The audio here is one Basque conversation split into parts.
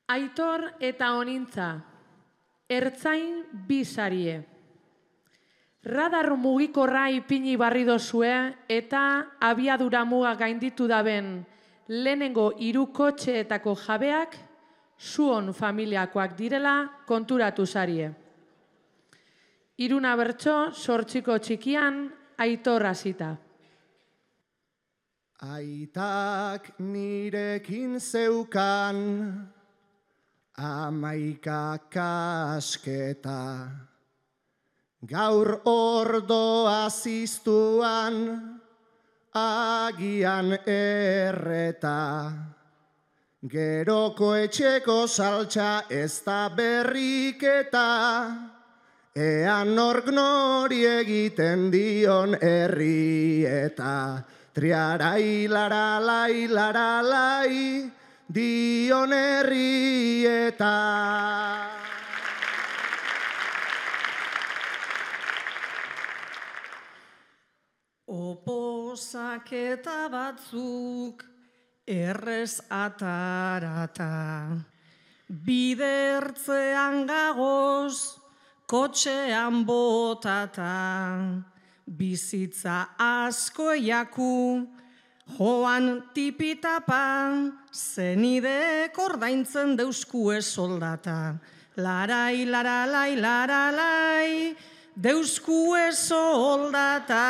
Aitor eta Onintza, ertzain bi sarie. Radar mugikorra ipini barri dozue eta abiadura muga gainditu daben lehenengo 3 kotxeetako jabeak zuon familiakoak direla konturatu sarie. Iruna bertso, 8 txikian, Aitor hasita. Aitak nirekin zeukan 11 kasketa, gaur ordoa ziztuan agian erreta, geroko etxeko saltsa ez da berriketa, ean nork nori egiten dion herrieta. Triarai laralai laralai dion herrieta. Oposaketa batzuk errez atarata, bidertzean gagoz, kotxean botata, bizitza asko eiaku, joan tipitapa, zenidek ordaintzen deuskue soldata. Larai, laralai, laralai, deuskue soldata.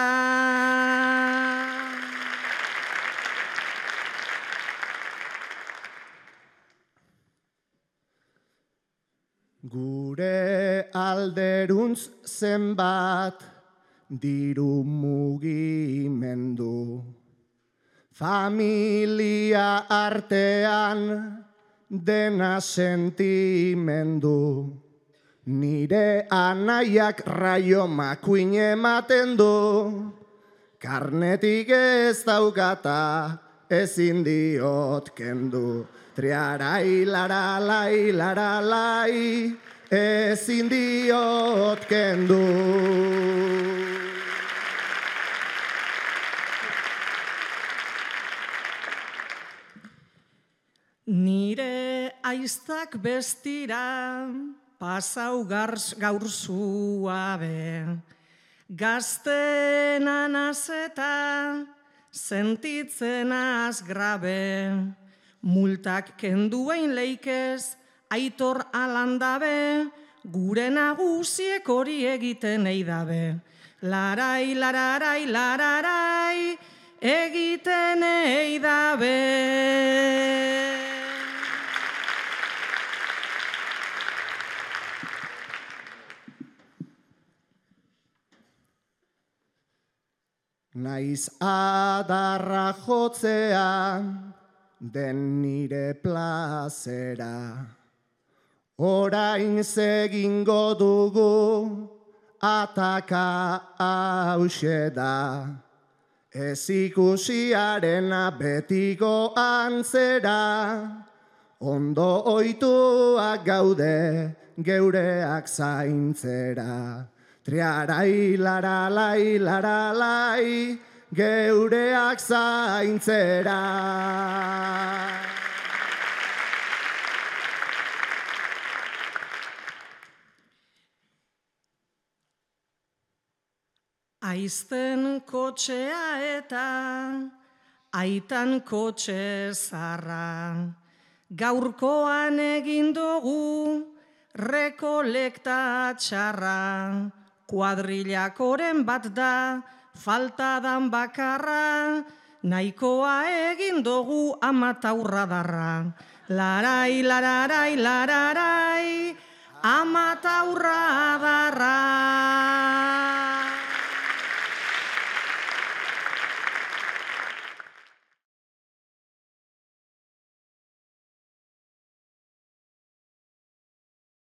Gure alderuntz zenbat diru mugimendu, familia artean dena sentimendu, nire anaiak raio makuin ematen du, karnetik ez daukata ezin diot kendu. Triarai laralai laralai ezin diot kendu. Nire aiztak bestira pasau gaur zuabe, gaztenan azeta sentitzen az grabe, multak kenduein leikez Aitor alandabe, gure nagusiek hori egiten eidabe. Larai, lararai, lararai, egiten eidabe. Naiz adarra jotzea den nire plazera, orain zegingo dugu ataka hause da, ez ikusiarena betiko antzera, ondo ohituak gaude geureak zaintzera. Triarai laralai laralai geureak zaintzera. Aizten kotxea eta aitan kotxe zarra, gaurkoan egin dugu rekolekta txarra, kuadrilakoren bat da, faltadan bakarra, nahikoa egin dugu amataurra darra. Larai, lararai, lararai, amataurra darra.